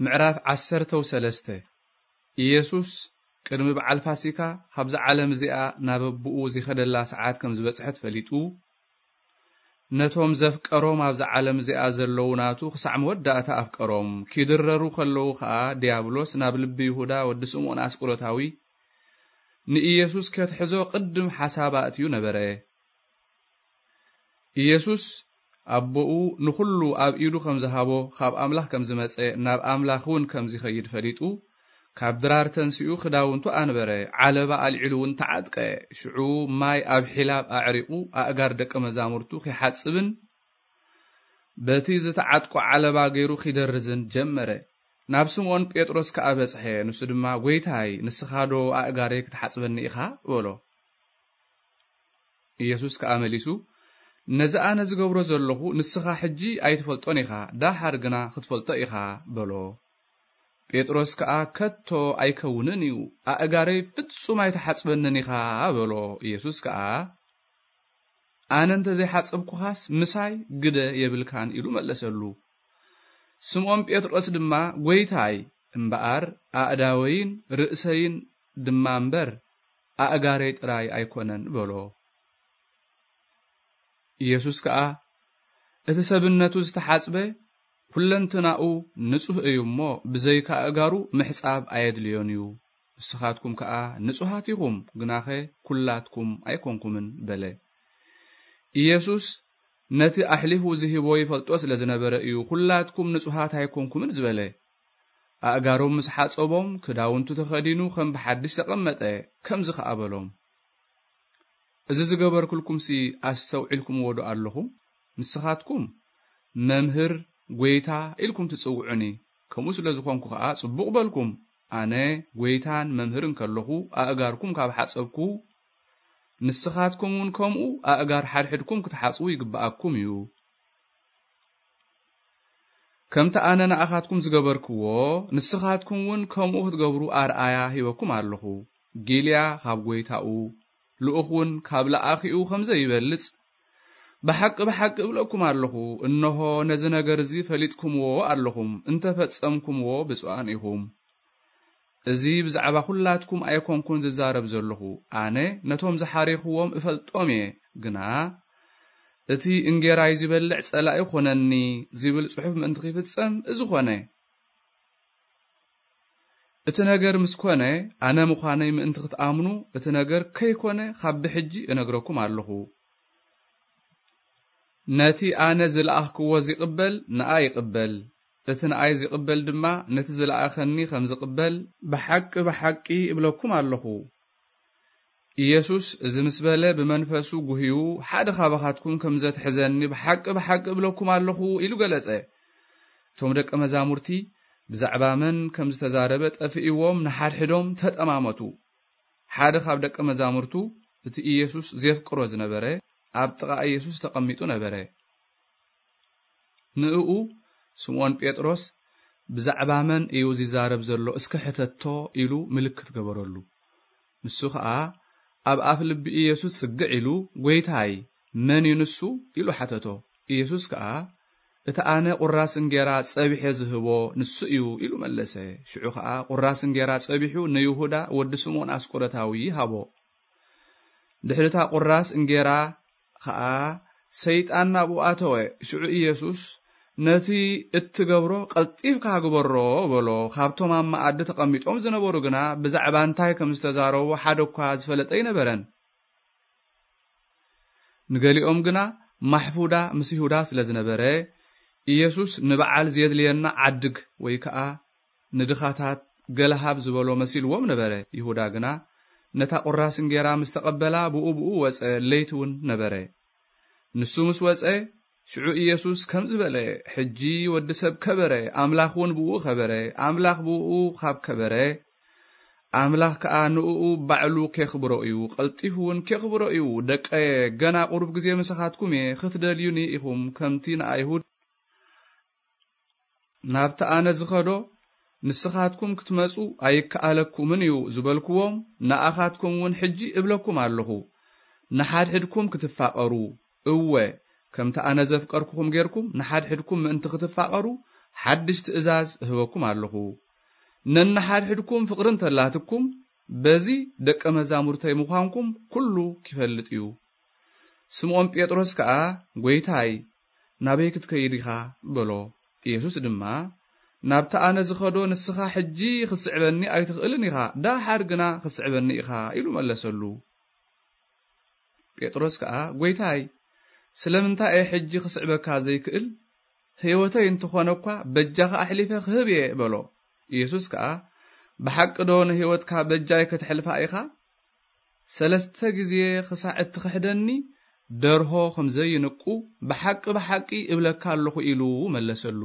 ምዕራፍ ዓሰርተ ወሰለስተ። ኢየሱስ ቅድሚ በዓል ፋሲካ ካብዛ ዓለም እዚኣ ናብ ኣቦኡ ዝኸደላ ሰዓት ከም ዝበጽሐት ፈሊጡ፣ ነቶም ዘፍቀሮም ኣብዛ ዓለም እዚኣ ዘለዉ ናቱ ክሳዕ መወዳእታ ኣፍቀሮም። ኪድረሩ ከለዉ ኸኣ ዲያብሎስ ናብ ልቢ ይሁዳ ወዲ ስምዖን ኣስቆሮታዊ ንኢየሱስ ከትሕዞ ቅድም ሓሳብ ኣእትዩ ነበረ። ኢየሱስ ኣቦኡ ንኹሉ ኣብ ኢዱ ከም ዝሃቦ፣ ካብ ኣምላኽ ከም ዝመጸ፣ ናብ ኣምላኽ እውን ከም ዝኸይድ ፈሊጡ፣ ካብ ድራር ተንሲኡ ክዳውንቱ ኣንበረ፣ ዓለባ ኣልዒሉ እውን ተዓጥቀ። ሽዑ ማይ ኣብ ሒላብ ኣዕሪቑ ኣእጋር ደቀ መዛሙርቱ ኺሓጽብን በቲ ዝተዓጥቆ ዓለባ ገይሩ ኺደርዝን ጀመረ። ናብ ስምዖን ጴጥሮስ ከኣ በጽሐ። ንሱ ድማ፣ "ጐይታይ፣ ንስኻ ዶ ኣእጋረይ ክትሓጽበኒ ኢኻ?" በሎ። ኢየሱስ ከኣ መሊሱ፣ "ነዚ ኣነ ዝገብሮ ዘለኹ ንስኻ ሕጂ ኣይትፈልጦን ኢኻ፣ ደሓር ግና ክትፈልጦ ኢኻ" በሎ። ጴጥሮስ ከኣ፣ "ከቶ ኣይከውንን እዩ፣ ኣእጋረይ ፍጹም ኣይትሓጽበንን ኢኻ" በሎ። ኢየሱስ ከኣ፣ "ኣነ እንተ ዘይሓጸብኩኻስ ምሳይ ግደ የብልካን" ኢሉ መለሰሉ። ስምዖን ጴጥሮስ ድማ፣ "ጐይታይ፣ እምበኣር ኣእዳወይን ርእሰይን ድማ እምበር፣ ኣእጋረይ ጥራይ ኣይኮነን" በሎ። ኢየሱስ ከኣ፣ "እቲ ሰብነቱ ዝተሓጽበ ኩለንትናኡ ንጹህ እዩ እሞ፣ ብዘይካ ኣእጋሩ ምሕጻብ ኣየድልዮን እዩ። ንስኻትኩም ከኣ ንጹሃት ኢኹም፣ ግናኸ ኩላትኩም ኣይኮንኩምን" በለ። ኢየሱስ ነቲ ኣሕሊፉ ዝህቦ ይፈልጦ ስለ ዝነበረ እዩ፣ "ኩላትኩም ንጹሃት ኣይኮንኩምን" ዝበለ። ኣእጋሮም ምስ ሓጸቦም፣ ክዳውንቱ ተኸዲኑ ከም ብሓድሽ ተቐመጠ፣ ከምዚ ኸኣ በሎም፣ "እዚ ዝገበርኩልኩምሲ ኣስተውዒልኩምዎ ዶ ኣለኹም? ንስኻትኩም 'መምህር'፣ 'ጐይታ' ኢልኩም ትጽውዑኒ። ከምኡ ስለ ዝኾንኩ ኸኣ ጽቡቕ በልኩም። ኣነ ጐይታን መምህርን ከለኹ ኣእጋርኩም ካብ ሓጸብኩ፣ ንስኻትኩም እውን ከምኡ ኣእጋር ሓድሕድኩም ክትሓጽቡ ይግብኣኩም እዩ። ከምቲ ኣነ ንኣኻትኩም ዝገበርክዎ፣ ንስኻትኩም እውን ከምኡ ክትገብሩ ኣርኣያ ሂበኩም ኣለኹ። ጊልያ ካብ ጐይታኡ፣ ልኡኽ እውን ካብ ለኣኺኡ ከም ዘይበልጽ፣ ብሓቂ ብሓቂ እብለኩም ኣለኹ፣ እንሆ ነዚ ነገር እዚ ፈሊጥኩምዎ ኣለኹም፣ እንተ ፈጸምኩምዎ ብፁዓን ኢኹም። እዚ ብዛዕባ ኹላትኩም ኣይኮንኩን ዝዛረብ ዘለኹ፣ ኣነ ነቶም ዝሓሬኽዎም እፈልጦም እየ፣ ግና እቲ እንጌራይ ዝበልዕ ጸላኢ ኾነኒ ዝብል ጽሑፍ ምእንቲ ኺፍጸም እዚ ኾነ። እቲ ነገር ምስ ኮነ፣ ኣነ ምዃነይ ምእንቲ ክትኣምኑ፣ እቲ ነገር ከይኮነ ካብ ብሕጂ እነግረኩም ኣለኹ። ነቲ ኣነ ዝለኣኽክዎ ዚቕበል፣ ንኣ ይቕበል፣ እቲ ንኣይ ዚቕበል ድማ፣ ነቲ ዝለኣኸኒ ከም ዚቕበል፣ ብሓቂ፣ ብሓቂ እብለኩም ኣለኹ።" ኢየሱስ እዚ ምስ በለ፣ ብመንፈሱ ጉህዩ፣ "ሓደ ኻባኻትኩም ከም ዘትሕዘኒ ብሓቂ፣ ብሓቂ እብለኩም ኣለኹ" ኢሉ ገለጸ። እቶም ደቀ መዛሙርቲ ብዛዕባ መን ከም ዝተዛረበ ጠፊእዎም፣ ንሓድሕዶም ተጠማመቱ። ሓደ ካብ ደቀ መዛሙርቱ፣ እቲ ኢየሱስ ዜፍቅሮ ዝነበረ፣ ኣብ ጥቓ ኢየሱስ ተቐሚጡ ነበረ። ንእኡ ስምዖን ጴጥሮስ፣ "ብዛዕባ መን እዩ ዚዛረብ ዘሎ? እስከ ሕተቶ" ኢሉ ምልክት ገበረሉ። ንሱ ኸኣ ኣብ ኣፍ ልቢ ኢየሱስ ጽግዕ ኢሉ፣ "ጐይታይ፣ መን እዩ ንሱ?" ኢሉ ሓተቶ። ኢየሱስ ከኣ፣ "እቲ ኣነ ቁራስ እንጌራ ጸቢሐ ዝህቦ ንሱ እዩ" ኢሉ መለሰ። ሽዑ ኸኣ ቁራስ እንጌራ ጸቢሑ ንይሁዳ ወዲ ስምዖን ኣስቆሮታዊ ሃቦ። ድሕሪ እታ ቁራስ እንጌራ ኸኣ ሰይጣን ናብኡ ኣተወ። ሽዑ ኢየሱስ፣ "ነቲ እትገብሮ ቀልጢፍካ ግበሮ" በሎ። ካብቶም ኣብ መኣዲ ተቐሚጦም ዝነበሩ ግና ብዛዕባ እንታይ ከም ዝተዛረቡ ሓደ እኳ ዝፈለጠ ኣይነበረን። ንገሊኦም ግና ማሕፉዳ ምስ ይሁዳ ስለ ዝነበረ፣ ኢየሱስ ንበዓል ዜድልየና ዓድግ ወይ ከኣ ንድኻታት ገለ ሃብ ዝበሎ መሲልዎም ነበረ። ይሁዳ ግና ነታ ቁራስ እንጌራ ምስ ተቐበላ ብኡ ብኡ ወጸ፣ ለይቲ እውን ነበረ። ንሱ ምስ ወጸ፣ ሽዑ ኢየሱስ ከምዚ በለ፣ "ሕጂ ወዲ ሰብ ከበረ፣ ኣምላኽ እውን ብኡ ኸበረ፣ ኣምላኽ ብኡ ኻብ ከበረ፣ ኣምላኽ ከኣ ንእኡ ባዕሉ ኬኽብሮ እዩ፣ ቀልጢፉ እውን ኬኽብሮ እዩ። ደቀየ፣ ገና ቁሩብ ግዜ ምሳኻትኩም እየ፣ ኽትደልዩኒ ኢኹም፣ ከምቲ ንኣይሁድ ናብቲ ኣነ ዝኸዶ ንስኻትኩም ክትመጹ ኣይከኣለኩምን እዩ ዝበልኩዎም፣ ንኣኻትኩም እውን ሕጂ እብለኩም ኣለኹ፣ ንሓድሕድኩም ክትፋቐሩ። እወ፣ ከምቲ ኣነ ዘፍቀርኩኹም ጌርኩም ንሓድሕድኩም ምእንቲ ክትፋቐሩ፣ ሓድሽ ትእዛዝ እህበኩም ኣለኹ፣ ነንሓድሕድኩም ፍቕሪ እንተላትኩም፣ በዚ ደቀ መዛሙርተይ ምዃንኩም ኩሉ ኪፈልጥ እዩ። ስምዖን ጴጥሮስ ከኣ፣ "ጐይታይ፣ ናበይ ክትከይድ ኢኻ?" በሎ። ኢየሱስ ድማ፣ "ናብቲ ኣነ ዝኸዶ ንስኻ ሕጂ ኽትስዕበኒ ኣይትኽእልን ኢኻ፣ ደሓር ግና ኽትስዕበኒ ኢኻ" ኢሉ መለሰሉ። ጴጥሮስ ከኣ፣ "ጐይታይ፣ ስለምንታይ እየ ሕጂ ኽስዕበካ ዘይክእል? ህይወተይ እንተኾነ እኳ በጃኻ ኣሕሊፈ ክህብ እየ" በሎ። ኢየሱስ ከኣ፣ "ብሓቂ ዶ ንህይወትካ በጃይ ከተሕልፋ ኢኻ? ሰለስተ ግዜ ክሳዕ እትኽሕደኒ ደርሆ ከም ዘይንቁ ብሓቂ ብሓቂ እብለካ ኣለኹ" ኢሉ መለሰሉ።